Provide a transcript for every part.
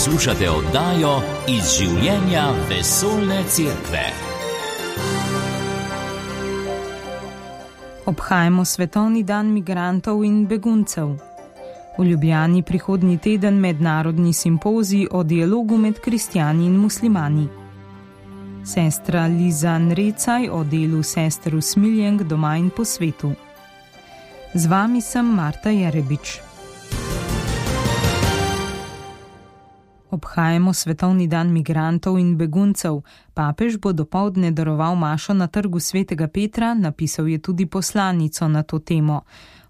Poslušate oddajo Iz življenja vesoljne cerkve. Obhajamo Svetovni dan migrantov in beguncev. V Ljubljani prihodnji teden mednarodni simpozij o dialogu med kristjani in muslimani. Sestra Liza Nrecaj o delu sester Usmiljenk doma in po svetu. Z vami sem Marta Jerebič. Obhajamo Svetovni dan migrantov in beguncev. Papež bo dopoldne daroval mašo na trgu Svetega Petra, napisal je tudi poslanico na to temo.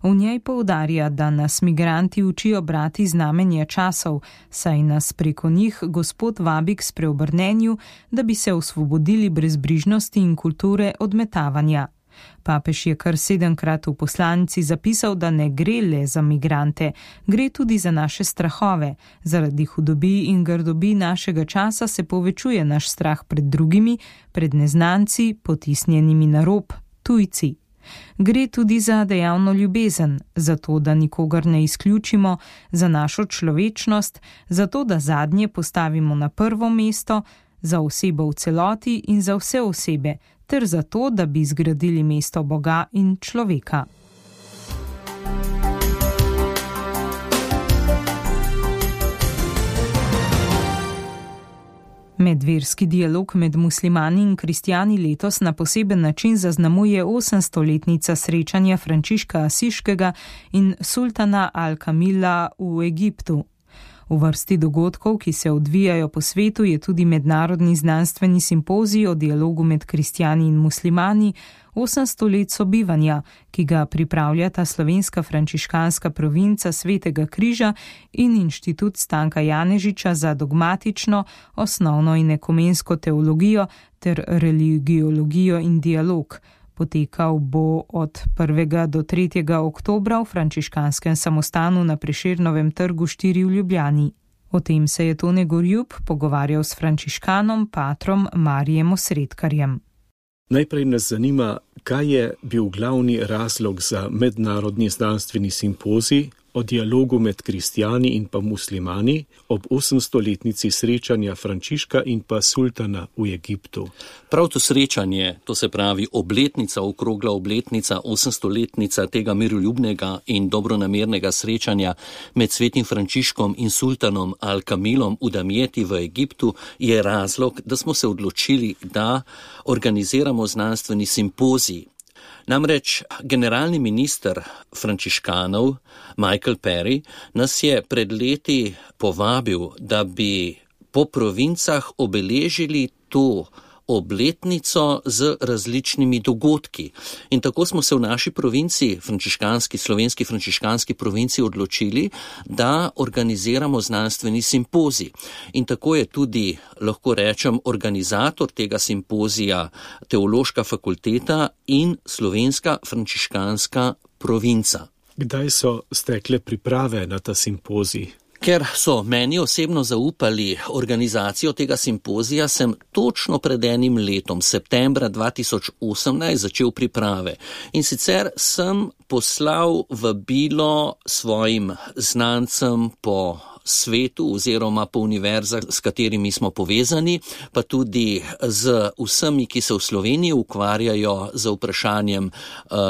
V njej poudarja, da nas migranti učijo brati znamenja časov, saj nas preko njih Gospod vabi k spreobrnenju, da bi se osvobodili brezbrižnosti in kulture odmetavanja. Papež je kar 7-krat v poslanici zapisal, da ne gre le za migrante, gre tudi za naše strahove. Zaradi hudobij in grdobi našega časa se povečuje naš strah pred drugimi, pred neznanci, potisnjenimi na rob, tujci. Gre tudi za dejavno ljubezen, za to, da nikogar ne izključimo, za našo človečnost, za to, da zadnje postavimo na prvo mesto, za osebo v celoti in za vse osebe, ter za to, da bi zgradili mesto Boga in človeka. Medverski dialog med muslimani in kristjani letos na poseben način zaznamuje 800-letnica srečanja Frančiška Asiškega in sultana Al-Kamila v Egiptu. V vrsti dogodkov, ki se odvijajo po svetu, je tudi mednarodni znanstveni simpozij o dialogu med kristjani in muslimani 800 let sobivanja, ki ga pripravljata slovenska frančiškanska provinca Svetega Križa in Inštitut Stanka Janežiča za dogmatično, osnovno in ekumensko teologijo ter religiologijo in dialog. Potekal bo od 1. do 3. oktobra v frančiškanskem samostanu na Prešernovem trgu 4 v Ljubljani. O tem se je Tone Gorjup pogovarjal s frančiškanom patrom Marijem Osredkarjem. Najprej nas zanima, kaj je bil glavni razlog za mednarodni znanstveni simpozij o dialogu med kristjani in pa muslimani ob 800-letnici srečanja Frančiška in pa sultana v Egiptu. Prav to srečanje, to se pravi obletnica, okrogla obletnica, 800-letnica tega miroljubnega in dobronamernega srečanja med svetim Frančiškom in sultanom Al-Kamilom v Damjeti v Egiptu, je razlog, da smo se odločili, da organiziramo znanstveni simpozij. Namreč generalni minister frančiškanov Michael Perry nas je pred leti povabil, da bi po provincah obeležili to obletnico z različnimi dogodki. In tako smo se v naši provinci, slovenski frančiškanski provinci, odločili, da organiziramo znanstveni simpozij. In tako je tudi, lahko rečem, organizator tega simpozija Teološka fakulteta in slovenska frančiškanska provinca. Kdaj so stekle priprave na ta simpozij? Ker so meni osebno zaupali organizacijo tega simpozija, sem točno pred enim letom, septembra 2018, začel priprave. In sicer sem poslal vabilo svojim znancem po svetu oziroma po univerzah, s katerimi smo povezani, pa tudi z vsemi, ki se v Sloveniji ukvarjajo z vprašanjem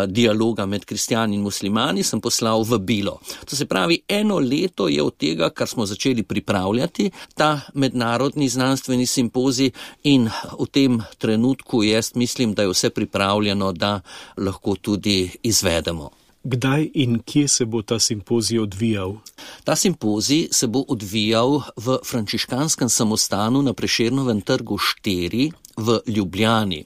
dialoga med kristjani in muslimani, sem poslal vabilo. To se pravi, 1 leto je od tega, kar smo začeli pripravljati, ta mednarodni znanstveni simpozij, in v tem trenutku jaz mislim, da je vse pripravljeno, da lahko tudi izvedemo. Kdaj in kje se bo ta simpozij odvijal? Ta simpozij se bo odvijal v frančiškanskem samostanu na Prešernovem trgu 4 v Ljubljani.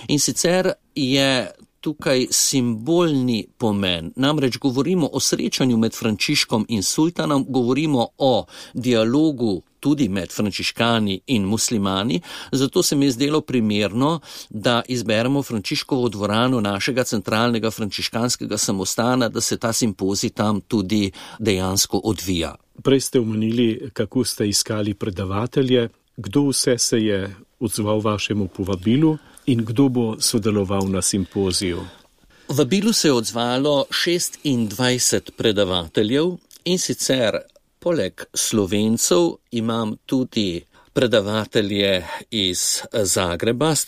In sicer je tukaj simbolni pomen. Namreč govorimo o srečanju med Frančiškom in sultanom, govorimo o dialogu tudi med frančiškani in muslimani, zato se mi je zdelo primerno, da izberemo Frančiškovo dvorano našega centralnega frančiškanskega samostana, da se ta simpozij tam tudi dejansko odvija. Prej ste omenili, kako ste iskali predavatelje, kdo vse se je odzval vašemu povabilu in kdo bo sodeloval na simpoziju? Vabilu se je odzvalo 26 predavateljev, in sicer Poleg Slovencev imam tudi predavatelje iz Zagreba, z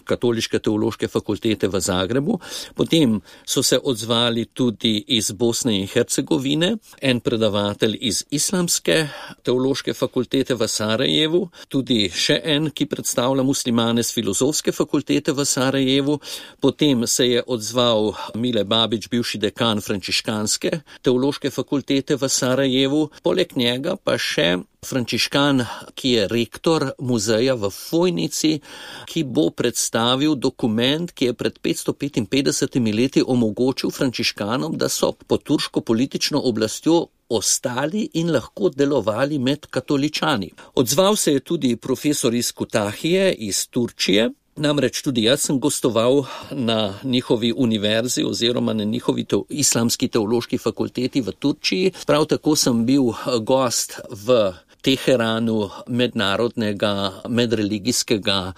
Katoliške teološke fakultete v Zagrebu. Potem so se odzvali tudi iz Bosne in Hercegovine, en predavatelj iz Islamske teološke fakultete v Sarajevu, tudi še en, ki predstavlja muslimane z Filozofske fakultete v Sarajevu. Potem se je odzval Mile Babić, bivši dekan Frančiškanske teološke fakultete v Sarajevu. Poleg njega pa še frančiškan, ki je rektor muzeja v Fojnici, ki bo predstavil dokument, ki je pred 555 leti omogočil frančiškanom, da so pod turško politično oblastjo ostali in lahko delovali med katoličani. Odzval se je tudi profesor iz Kutahije, iz Turčije. Namreč tudi jaz sem gostoval na njihovi univerzi oziroma na njihovi islamski teološki fakulteti v Turčiji. Prav tako sem bil gost v Teheranu mednarodnega medreligijskega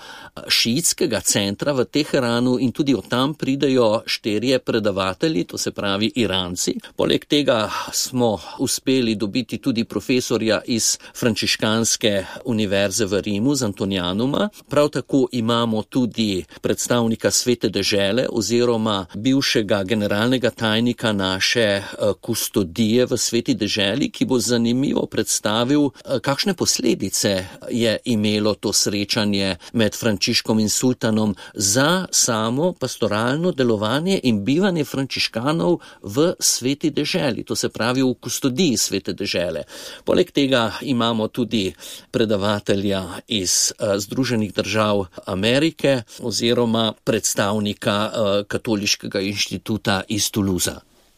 šiitskega centra v Teheranu in tudi od tam pridejo 4 predavatelji, to se pravi Iranci. Poleg tega smo uspeli dobiti tudi profesorja iz Frančiškanske univerze v Rimu, z Antonianuma. Prav tako imamo tudi predstavnika Svete dežele oziroma bivšega generalnega tajnika naše kustodije v Sveti deželi, ki bo zanimivo predstavil, kakšne posledice je imelo to srečanje med Frančiškom in sultanom za samo pastoralno delovanje in bivanje frančiškanov v Sveti deželi, to se pravi v kustodiji Svete dežele. Poleg tega imamo tudi predavatelja iz Združenih držav Amerike oziroma predstavnika Katoliškega inštituta iz Toulouse.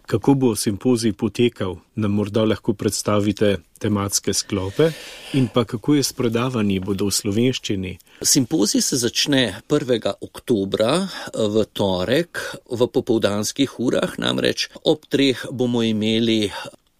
Kako bo simpozij potekal? Nam morda lahko predstavite tematske sklope in pa kako je s predavanji, bodo v slovenščini? Simpozij se začne 1. oktobra v torek v popoldanskih urah, namreč ob 3 bomo imeli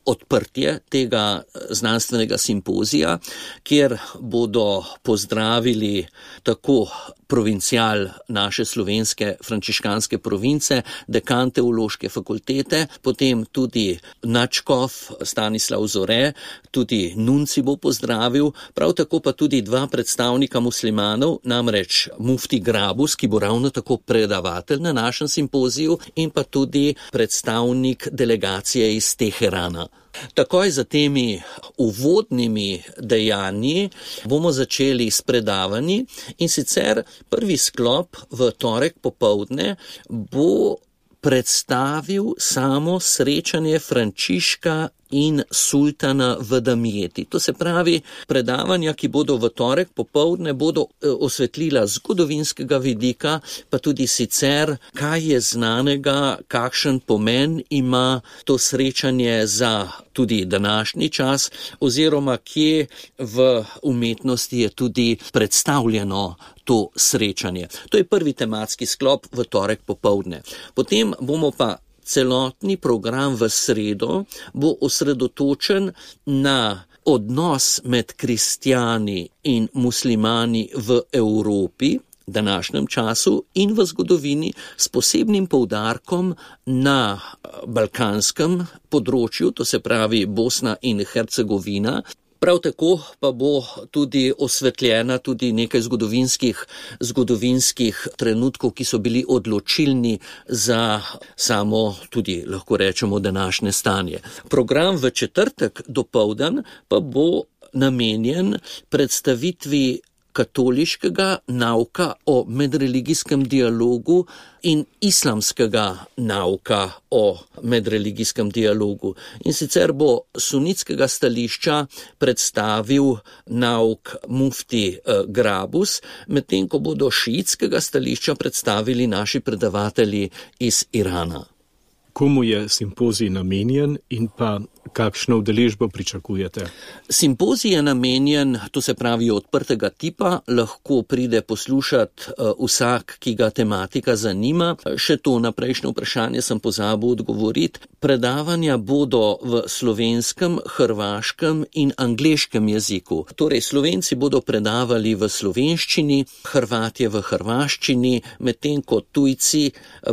odprtje tega znanstvenega simpozija, kjer bodo pozdravili tako provincial naše slovenske frančiškanske province, dekan teološke fakultete, potem tudi nadškof Stanislav Zore, tudi nunci bo pozdravil, prav tako pa tudi 2 predstavnika muslimanov, namreč mufti Grabus, ki bo ravno tako predavatelj na našem simpoziju, in pa tudi predstavnik delegacije iz Teherana. Takoj za temi uvodnimi dejanji bomo začeli s predavanji in sicer prvi sklop v torek popoldne bo predstavil samo srečanje Frančiška in sultana v Damjeti. To se pravi, predavanja, ki bodo v torek popoldne, bodo osvetlila zgodovinskega vidika, pa tudi sicer, kaj je znanega, kakšen pomen ima to srečanje za tudi današnji čas, oziroma kje v umetnosti je tudi predstavljeno to srečanje. To je prvi tematski sklop v torek popoldne. Potem bomo pa celotni program v sredo bo osredotočen na odnos med kristjani in muslimani v Evropi, današnjem času in v zgodovini, s posebnim poudarkom na balkanskem področju, to se pravi Bosna in Hercegovina. Prav tako pa bo tudi osvetljena tudi nekaj zgodovinskih trenutkov, ki so bili odločilni za samo tudi, lahko rečemo, današnje stanje. Program v četrtek dopoldan pa bo namenjen predstavitvi katoliškega nauka o medreligijskem dialogu in islamskega nauka o medreligijskem dialogu. In sicer bo sunitskega stališča predstavil nauk mufti Grabus, medtem ko bodo šiitskega stališča predstavili naši predavatelji iz Irana. Komu je simpozij namenjen in pa kakšno udeležbo pričakujete? Simpozij je namenjen, to se pravi odprtega tipa, lahko pride poslušati vsak, ki ga tematika zanima. Še to na prejšnje vprašanje sem pozabil odgovoriti. Predavanja bodo v slovenskem, hrvaškem in angleškem jeziku. Torej, Slovenci bodo predavali v slovenščini, Hrvatje v hrvaščini, medtem ko tujci,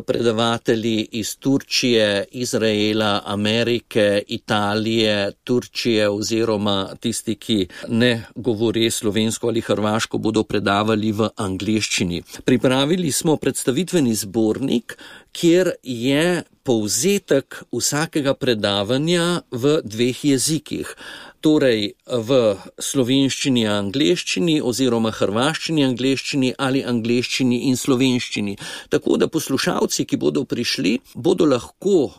predavatelji iz Turčije, Izraela, Amerike, Italije, Italije, Turčije oziroma tisti, ki ne govori slovensko ali hrvaško, bodo predavali v angleščini. Pripravili smo predstavitveni zbornik, kjer je povzetek vsakega predavanja v 2 jezikih. Torej v slovenščini, angleščini oziroma hrvaščini, angleščini ali angleščini in slovenščini. Tako da poslušalci, ki bodo prišli, bodo lahko,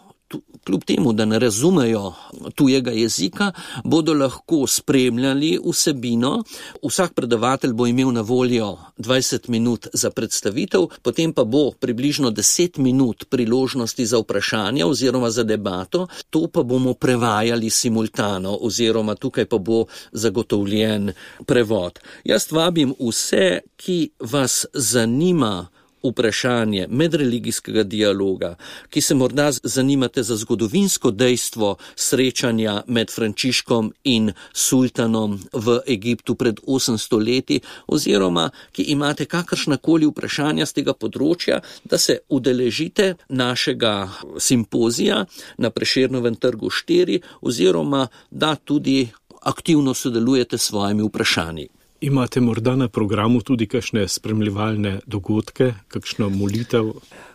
kljub temu, da ne razumejo tujega jezika, bodo lahko spremljali vsebino. Vsak predavatelj bo imel na voljo 20 minut za predstavitev, potem pa bo približno 10 minut priložnosti za vprašanja oziroma za debato. To pa bomo prevajali simultano oziroma tukaj pa bo zagotovljen prevod. Jaz vabim vse, ki vas zanima vprašanje medreligijskega dialoga, ki se morda zanimate za zgodovinsko dejstvo srečanja med Frančiškom in sultanom v Egiptu pred 800 leti, oziroma ki imate kakršnakoli vprašanja z tega področja, da se udeležite našega simpozija na Prešernovem trgu 4, oziroma da tudi aktivno sodelujete s svojimi vprašanji. Imate morda na programu tudi kakšne spremljevalne dogodke, kakšno molitev?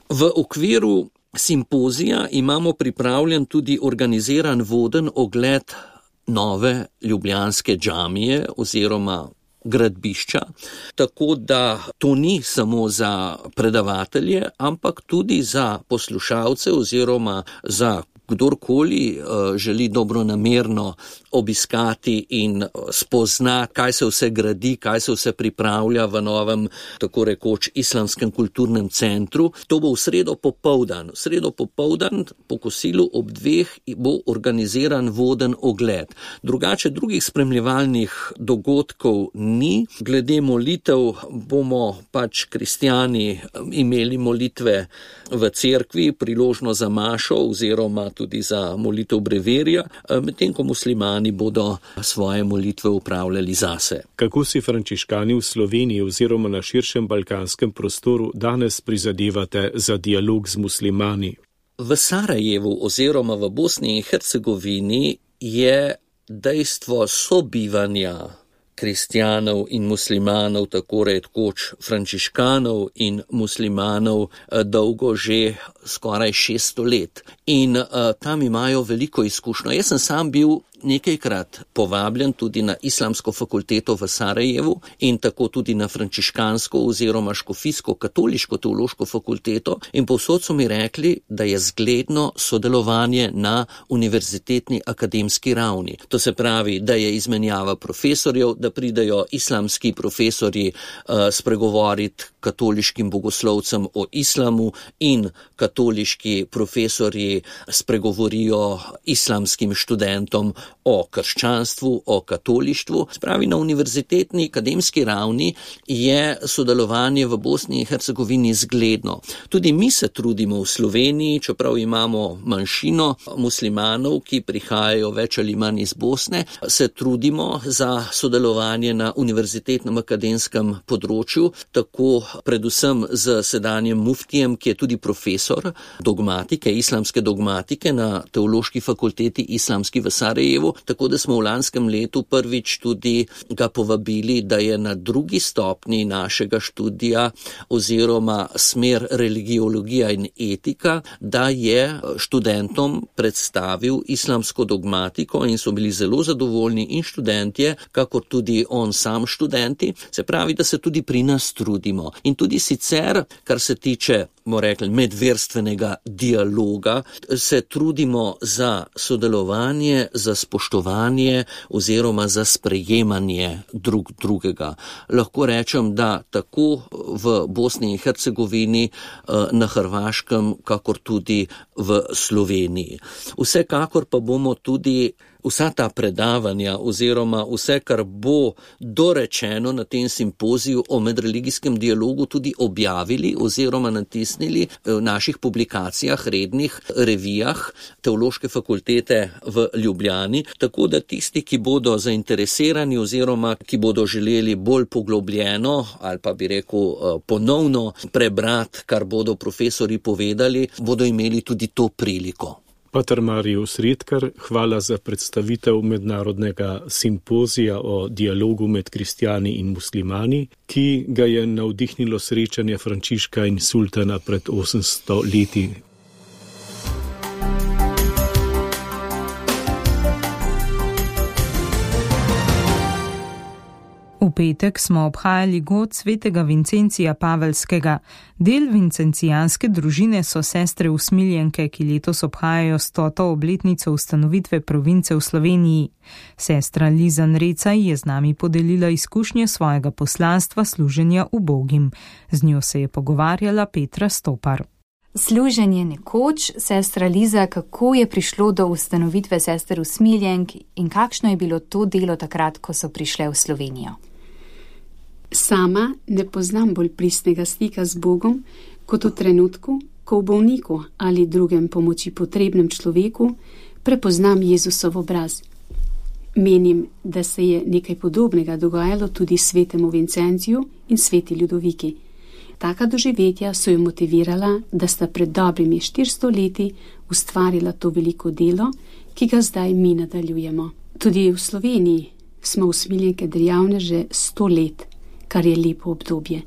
V okviru simpozija imamo pripravljen tudi organiziran voden ogled nove ljubljanske džamije oziroma gradbišča, tako da to ni samo za predavatelje, ampak tudi za poslušalce oziroma za kdorkoli želi dobronamerno obiskati in spozna, kaj se vse gradi, kaj se vse pripravlja v novem, tako rekoč, islamskem kulturnem centru. To bo v sredo popoldan. V sredo popoldan po kosilu ob 2 bo organiziran voden ogled. Drugače drugih spremljevalnih dogodkov ni. Glede molitev bomo pač kristjani imeli molitve v cerkvi, priložno za mašo oziroma tudi za molitev breverja, medtem ko muslimani bodo svoje molitve upravljali zase. Kako si frančiškani v Sloveniji oziroma na širšem balkanskem prostoru danes prizadevate za dialog z muslimani? V Sarajevu oziroma v Bosni in Hercegovini je dejstvo sobivanja kristjanov in muslimanov, tako rekoč frančiškanov in muslimanov, dolgo že skoraj 600 let. In tam imajo veliko izkušnjo. Jaz sem sam bil nekajkrat povabljen tudi na Islamsko fakulteto v Sarajevu in tako tudi na frančiškansko oziroma škofijsko katoliško teološko fakulteto in povsod so mi rekli, da je zgledno sodelovanje na univerzitetni akademski ravni. To se pravi, da je izmenjava profesorjev, da pridejo islamski profesorji spregovoriti katoliškim bogoslovcem o islamu in katoliški profesorji spregovorijo islamskim študentom o krščanstvu, o katolištvu. Spravi, na univerzitetni akademski ravni je sodelovanje v Bosni in Hercegovini zgledno. Tudi mi se trudimo v Sloveniji, čeprav imamo manjšino muslimanov, ki prihajajo več ali manj iz Bosne, se trudimo za sodelovanje na univerzitetnem akademskem področju, tako predvsem z sedanjem muftijem, ki je tudi profesor dogmatike, islamske dogmatike na Teološki fakulteti islamski v Sarajevu, tako da smo v lanskem letu prvič tudi ga povabili, da je na drugi stopnji našega študija oziroma smer religiologija in etika, da je študentom predstavil islamsko dogmatiko in so bili zelo zadovoljni in študentje, kakor tudi on sam študenti. Se pravi, da se tudi pri nas trudimo. In tudi sicer, kar se tiče, bomo rekli, medverstvenega dialoga, se trudimo za sodelovanje, za spoštovanje oziroma za sprejemanje drugega. Lahko rečem, da tako v Bosni in Hercegovini, na Hrvaškem, kakor tudi v Sloveniji. Vsekakor pa bomo tudi vsa ta predavanja oziroma vse, kar bo dorečeno na tem simpoziju o medreligijskem dialogu, tudi objavili oziroma natisnili v naših publikacijah, rednih revijah Teološke fakultete v Ljubljani, tako da tisti, ki bodo zainteresirani oziroma ki bodo želeli bolj poglobljeno ali pa bi rekel ponovno prebrati, kar bodo profesori povedali, bodo imeli tudi to priliko. Pater Marius Redkar, hvala za predstavitev mednarodnega simpozija o dialogu med kristjani in muslimani, ki ga je navdihnilo srečanje Frančiška in sultana pred 800 leti. V petek smo obhajali god svetega Vincencija Pavelskega. Del vincencijanske družine so sestre usmiljenke, ki letos obhajajo 100. obletnico ustanovitve province v Sloveniji. Sestra Lizan Recaj je z nami podelila izkušnje svojega poslanstva služenja ubogim. Z njo se je pogovarjala Petra Stopar. Služenje nekoč, sestra Liza, kako je prišlo do ustanovitve sester usmiljenk in kakšno je bilo to delo takrat, ko so prišle v Slovenijo? Sama ne poznam bolj pristnega stika z Bogom, kot v trenutku, ko v bolniku ali drugem pomoči potrebnem človeku prepoznam Jezusov obraz. Menim, da se je nekaj podobnega dogajalo tudi svetemu Vincenciju in sveti Ljudoviki. Taka doživetja so jo motivirala, da sta pred dobrimi 400 leti ustvarila to veliko delo, ki ga zdaj mi nadaljujemo. Tudi v Sloveniji smo usmiljenke dejavne že 100 let, kar je lepo obdobje.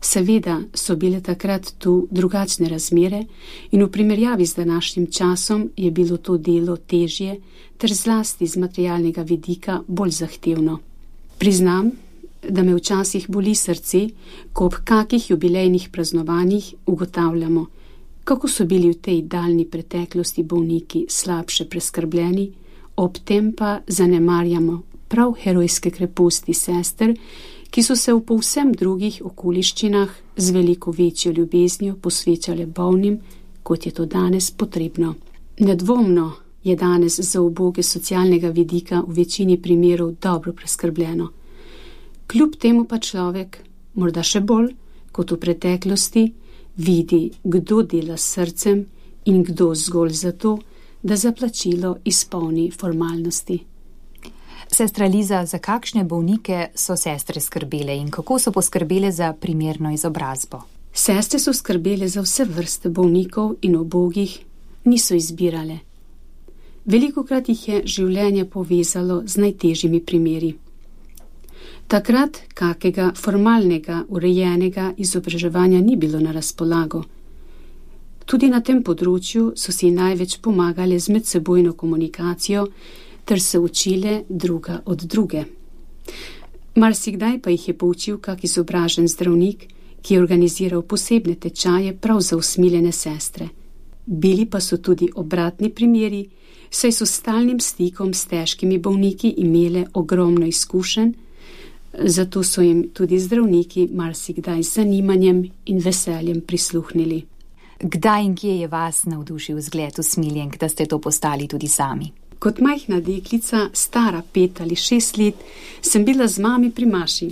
Seveda so bile takrat tu drugačne razmere in v primerjavi z današnjim časom je bilo to delo težje ter zlasti z materialnega vidika bolj zahtevno. Priznam, da me včasih boli srce, ko ob kakih jubilejnih praznovanjih ugotavljamo, kako so bili v tej daljni preteklosti bolniki slabše preskrbljeni, ob tem pa zanemarjamo prav herojske kreposti sester, ki so se v povsem drugih okoliščinah z veliko večjo ljubeznijo posvečale bolnim, kot je to danes potrebno. Nedvomno je danes za uboge socialnega vidika v večini primerov dobro preskrbljeno. Kljub temu pa človek, morda še bolj kot v preteklosti, vidi, kdo dela s srcem in kdo zgolj zato, da za plačilo izpolni formalnosti. Sestra Liza, za kakšne bolnike so sestre skrbele in kako so poskrbele za primerno izobrazbo? Sestre so skrbele za vse vrste bolnikov in ubogih, niso izbirale. Velikokrat jih je življenje povezalo z najtežjimi primeri. Takrat kakega formalnega, urejenega izobraževanja ni bilo na razpolago. Tudi na tem področju so si največ pomagale z medsebojno komunikacijo ter se učile druga od druge. Marsikdaj pa jih je poučil kak izobražen zdravnik, ki je organiziral posebne tečaje prav za usmiljene sestre. Bili pa so tudi obratni primeri, saj so s stalnim stikom s težkimi bolniki imele ogromno izkušenj, zato so jim tudi zdravniki marsikdaj z zanimanjem in veseljem prisluhnili. Kdaj in kje je vas navdušil zgled usmiljenk, da ste to postali tudi sami? Kot majhna deklica, stara 5 ali 6 let, sem bila z mami pri maši.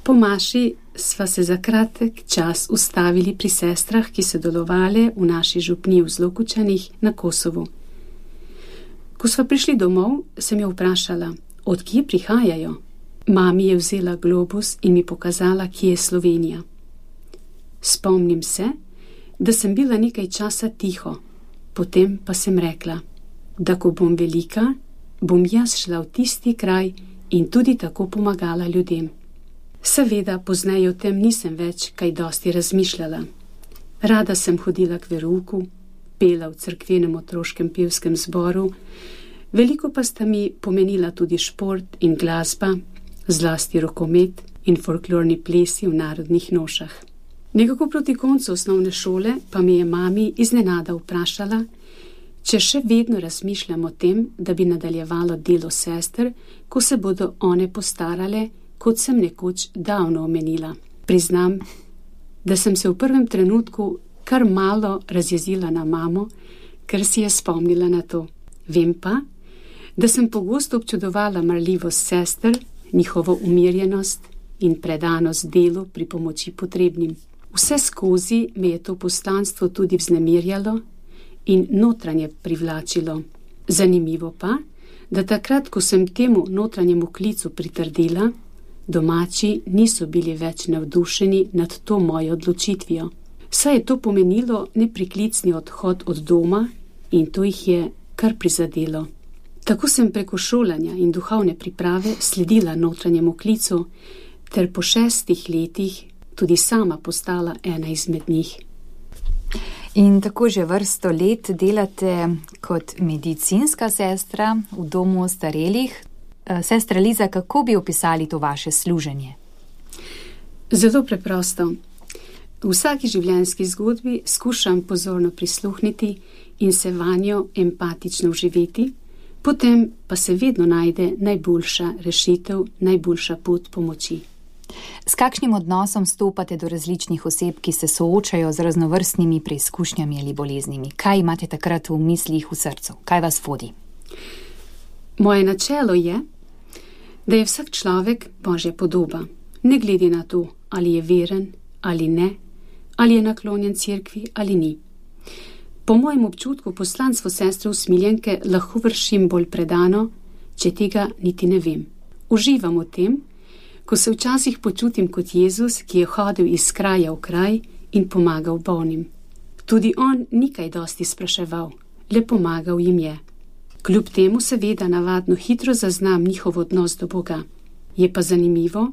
Po maši sva se za kratek čas ustavili pri sestrah, ki so delovale v naši župniji v Zlokučanih na Kosovu. Ko sva prišli domov, sem jo vprašala, od kje prihajajo. Mami je vzela globus in mi pokazala, kje je Slovenija. Spomnim se, da sem bila nekaj časa tiho, potem pa sem rekla, da ko bom velika, bom jaz šla v tisti kraj in tudi tako pomagala ljudem. Seveda, pozneje o tem nisem več kaj dosti razmišljala. Rada sem hodila k verouku, pela v cerkvenem otroškem pevskem zboru, veliko pa sta mi pomenila tudi šport in glasba, zlasti rokomet in folklorni plesi v narodnih nošah. Nekako proti koncu osnovne šole pa mi je mami iznenada vprašala, če še vedno razmišljam o tem, da bi nadaljevalo delo sester, ko se bodo one postarale, kot sem nekoč davno omenila. Priznam, da sem se v prvem trenutku kar malo razjezila na mamo, ker si je spomnila na to. Vem pa, da sem pogosto občudovala marljivost sester, njihovo umirjenost in predanost delu pri pomoči potrebnim. Vse skozi me je to poslanstvo tudi vznemirjalo in notranje privlačilo. Zanimivo pa, da takrat, ko sem temu notranjemu klicu pritrdila, domači niso bili več navdušeni nad to mojo odločitvijo. Saj je to pomenilo nepriklicni odhod od doma in to jih je kar prizadelo. Tako sem preko šolanja in duhovne priprave sledila notranjemu klicu, ter po 6 letih tudi sama postala ena izmed njih. In tako že vrsto let delate kot medicinska sestra v domu ostarelih. Sestra Liza, kako bi opisali to vaše služenje? Zelo preprosto. V vsaki življenjski zgodbi skušam pozorno prisluhniti in se vanjo empatično vživeti, potem pa se vedno najde najboljša rešitev, najboljša pot pomoči. S kakšnim odnosom stopate do različnih oseb, ki se soočajo z raznovrstnimi preizkušnjami ali boleznimi? Kaj imate takrat v mislih, v srcu? Kaj vas vodi? Moje načelo je, da je vsak človek Božja podoba, ne glede na to, ali je veren ali ne, ali je naklonjen cerkvi ali ni. Po mojem občutku poslanstvo sestre Usmiljenke lahko vršim bolj predano, če tega niti ne vem. Uživam v tem, ko se včasih počutim kot Jezus, ki je hodil iz kraja v kraj in pomagal bolnim. Tudi on ni kaj dosti spraševal, le pomagal jim je. Kljub temu seveda navadno hitro zaznam njihov odnos do Boga. Je pa zanimivo,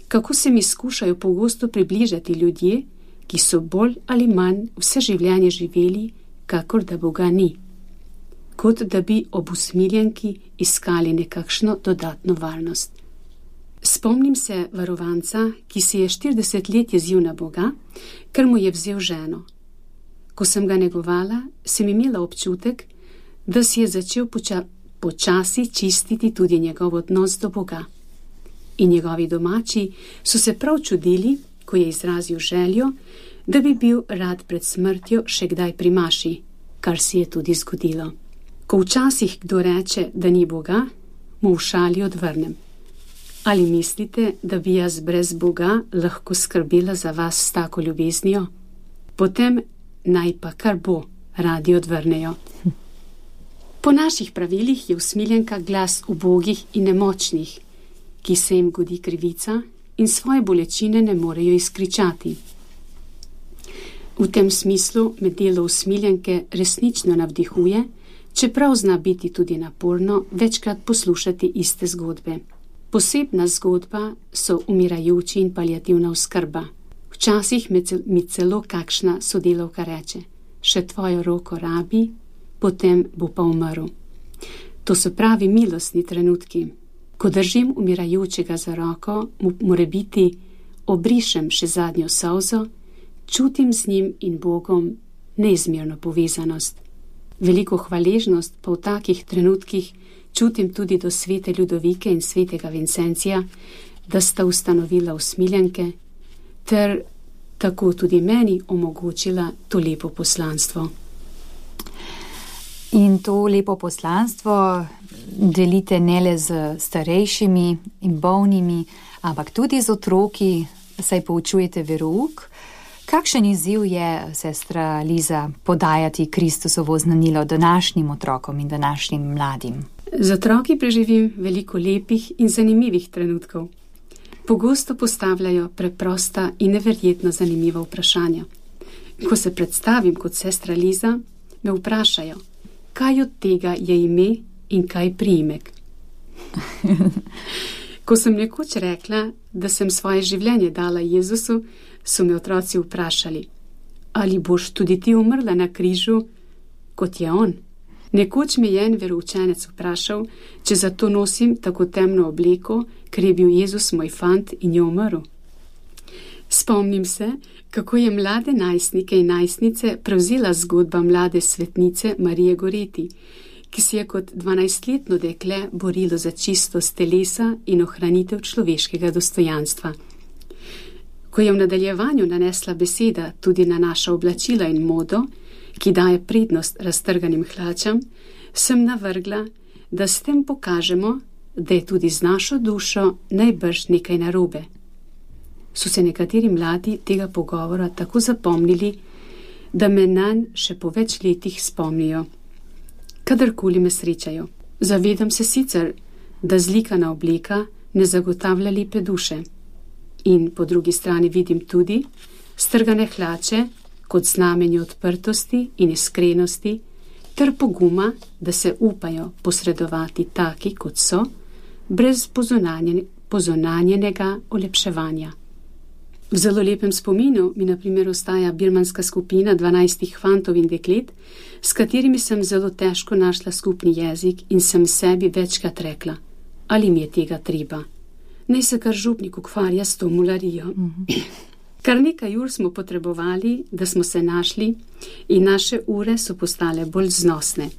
kako se mi skušajo pogosto približati ljudje, ki so bolj ali manj vse življenje živeli, kakor da Boga ni. Kot da bi ob Usmiljenki iskali nekakšno dodatno varnost. Spomnim se varovanca, ki si je 40 let jezil na Boga, ker mu je vzel ženo. Ko sem ga negovala, sem imela občutek, da si je začel počasi čistiti tudi njegov odnos do Boga. In njegovi domači so se prav čudili, ko je izrazil željo, da bi bil rad pred smrtjo še kdaj pri maši, kar si je tudi zgodilo. Ko včasih kdo reče, da ni Boga, mu v šali odvrnem. Ali mislite, da bi jaz brez Boga lahko skrbela za vas s tako ljubeznijo? Potem naj pa kar bo, radi odvrnejo. Po naših pravilih je Usmiljenka glas ubogih in nemočnih, ki se jim godi krivica in svoje bolečine ne morejo izkričati. V tem smislu me delo Usmiljenke resnično navdihuje, čeprav zna biti tudi naporno večkrat poslušati iste zgodbe. Posebna zgodba so umirajoči in paliativna oskrba. Včasih mi celo kakšna sodelavka reče, še tvojo roko rabi, potem bo pa umrl. To so pravi milostni trenutki. Ko držim umirajočega za roko, mu morebiti obrišem še zadnjo solzo, čutim z njim in Bogom neizmerno povezanost. Veliko hvaležnost pa v takih trenutkih čutim tudi do svete Ljudovike in svetega Vincencija, da sta ustanovila Usmiljenke, ter tako tudi meni omogočila to lepo poslanstvo. In to lepo poslanstvo delite ne le z starejšimi in bolnimi, ampak tudi z otroki, saj poučujete verouk. Kakšen izziv je, sestra Liza, podajati Kristusovo znanilo današnjim otrokom in današnjim mladim? Z otroki preživim veliko lepih in zanimivih trenutkov. Pogosto postavljajo preprosta in neverjetno zanimiva vprašanja. Ko se predstavim kot sestra Liza, me vprašajo, kaj od tega je ime in kaj priimek. Ko sem nekoč rekla, da sem svoje življenje dala Jezusu, so me otroci vprašali, ali boš tudi ti umrla na križu, kot je on? Nekoč me je en veroučenec vprašal, če zato nosim tako temno obleko, ker je bil Jezus moj fant in je umrl. Spomnim se, kako je mlade najstnike in najstnice prevzela zgodba mlade svetnice Marije Goreti, ki si je kot 12-letno dekle borilo za čistost telesa in ohranitev človeškega dostojanstva. Ko je v nadaljevanju nanesla beseda tudi na naša oblačila in modo, ki daje prednost raztrganim hlačam, sem navrgla, da s tem pokažemo, da je tudi z našo dušo najbrž nekaj narobe. So se nekateri mladi tega pogovora tako zapomnili, da me nanj še po več letih spomnijo. Kadarkoli me srečajo, zavedam se sicer, da zlikana obleka ne zagotavlja lepe duše. In po drugi strani vidim tudi strgane hlače kot znamenje odprtosti in iskrenosti, ter poguma, da se upajo posredovati taki, kot so, brez pozonanjenega olepševanja. V zelo lepem spominu mi na primer ostaja birmanska skupina 12 fantov in deklet, s katerimi sem zelo težko našla skupni jezik in sem sebi večkrat rekla, ali mi je tega treba. Naj se kar župnik ukvarja s to mularijo. Kar nekaj ur smo potrebovali, da smo se našli in naše ure so postale bolj znosne.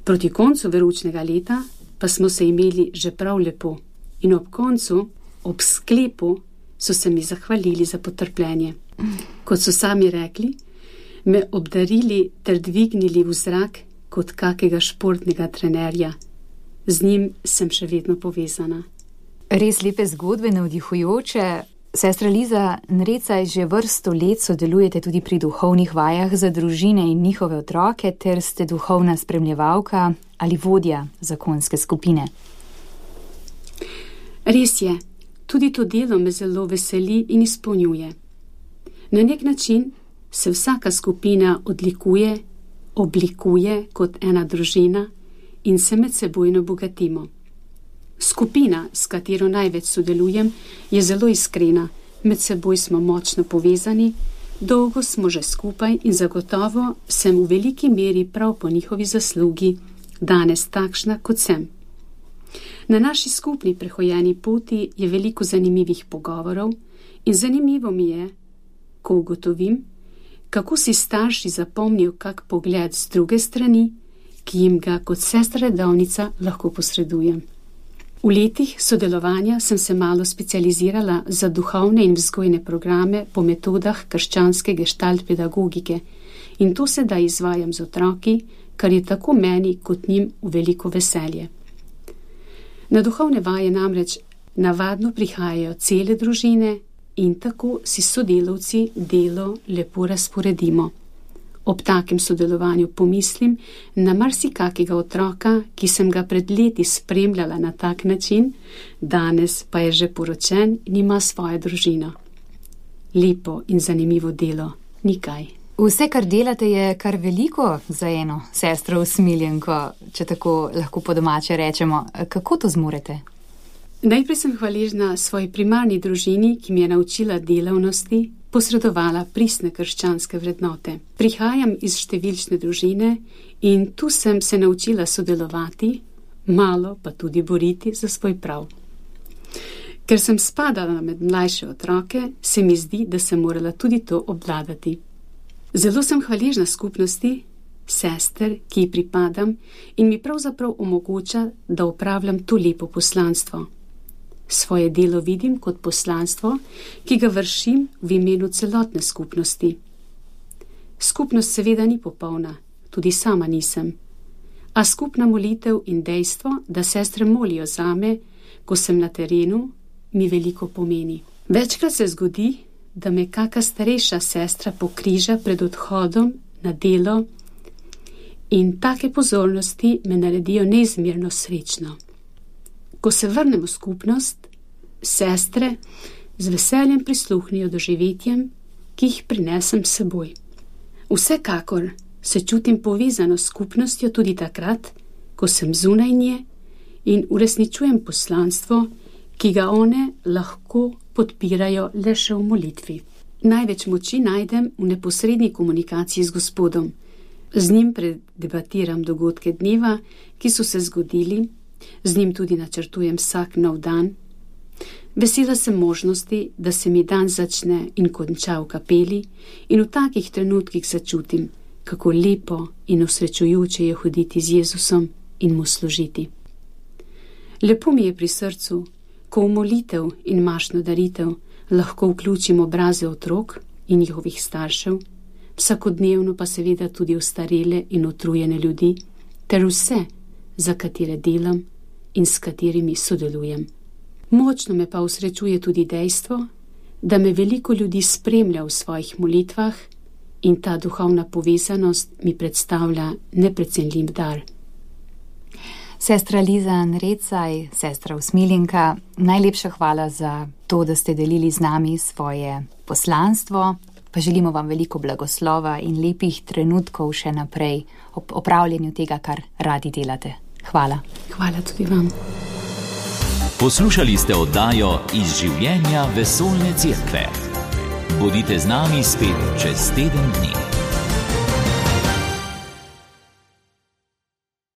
Proti koncu veroučnega leta pa smo se imeli že prav lepo in ob koncu, ob sklepu, so se mi zahvalili za potrpljenje. Kot so sami rekli, me obdarili ter dvignili v zrak kot kakega športnega trenerja. Z njim sem še vedno povezana. Res lepe zgodbe, navdihujoče. Sestra Liza Nrecaj, že vrsto let sodelujete tudi pri duhovnih vajah za družine in njihove otroke, ter ste duhovna spremljevalka ali vodja zakonske skupine. Res je, tudi to delo me zelo veseli in izpolnjuje. Na nek način se vsaka skupina oblikuje kot ena družina in se med sebojno bogatimo. Skupina, s katero največ sodelujem, je zelo iskrena, med seboj smo močno povezani, dolgo smo že skupaj in zagotovo sem v veliki meri prav po njihovi zaslugi danes takšna, kot sem. Na naši skupni prehojeni poti je veliko zanimivih pogovorov in zanimivo mi je, ko ugotovim, kako si starši zapomnijo kak pogled z druge strani, ki jim ga kot sestra redovnica lahko posredujem. V letih sodelovanja sem se malo specializirala za duhovne in vzgojne programe po metodah krščanske gestalt pedagogike in to sedaj izvajam z otroki, kar je tako meni kot njim v veliko veselje. Na duhovne vaje namreč navadno prihajajo cele družine in tako si sodelavci delo lepo razporedimo. Ob takem sodelovanju pomislim na marsikakega otroka, ki sem ga pred leti spremljala na tak način, danes pa je že poročen in ima svojo družino. Lepo in zanimivo delo, nikaj. Vse, kar delate, je kar veliko za eno sestro usmiljenko, če tako lahko po domače rečemo. Kako to zmorete? Najprej sem hvaležna svoji primarni družini, ki mi je naučila delavnosti, posredovala pristne krščanske vrednote. Prihajam iz številčne družine in tu sem se naučila sodelovati, malo pa tudi boriti za svoj prav. Ker sem spadala med mlajše otroke, se mi zdi, da sem morala tudi to obvladati. Zelo sem hvaležna skupnosti, sester, ki ji pripadam in mi pravzaprav omogoča, da opravljam to lepo poslanstvo. Svoje delo vidim kot poslanstvo, ki ga vršim v imenu celotne skupnosti. Skupnost seveda ni popolna, tudi sama nisem. A skupna molitev in dejstvo, da sestre molijo zame, ko sem na terenu, mi veliko pomeni. Večkrat se zgodi, da me kaka starejša sestra pokriža pred odhodom na delo in take pozornosti me naredijo neizmerno srečno. Ko se vrnemo v skupnost, sestre z veseljem prisluhnijo doživetjem, ki jih prinesem s seboj. Vsekakor se čutim povezano s skupnostjo tudi takrat, ko sem zunaj nje in uresničujem poslanstvo, ki ga one lahko podpirajo le še v molitvi. Največ moči najdem v neposredni komunikaciji z Gospodom. Z njim predebatiram dogodke dneva, ki so se zgodili, z njim tudi načrtujem vsak nov dan. Vesela sem možnosti, da se mi dan začne in konča v kapeli in v takih trenutkih začutim, kako lepo in osrečujoče je hoditi z Jezusom in mu služiti. Lepo mi je pri srcu, ko v molitev in mašno daritev lahko vključim obraze otrok in njihovih staršev, vsakodnevno pa seveda tudi ostarele in utrujene ljudi, ter vse, za katere delam in s katerimi sodelujem. Močno me pa osrečuje tudi dejstvo, da me veliko ljudi spremlja v svojih molitvah in ta duhovna povezanost mi predstavlja neprecenljiv dar. Sestra Liza Nrecaj, sestra usmiljenka, najlepša hvala za to, da ste delili z nami svoje poslanstvo, Pa želimo vam veliko blagoslova in lepih trenutkov še naprej ob opravljanju tega, kar radi delate. Hvala. Hvala tudi vam. Poslušali ste oddajo Iz življenja vesoljne cerkve. Bodite z nami spet čez teden dni.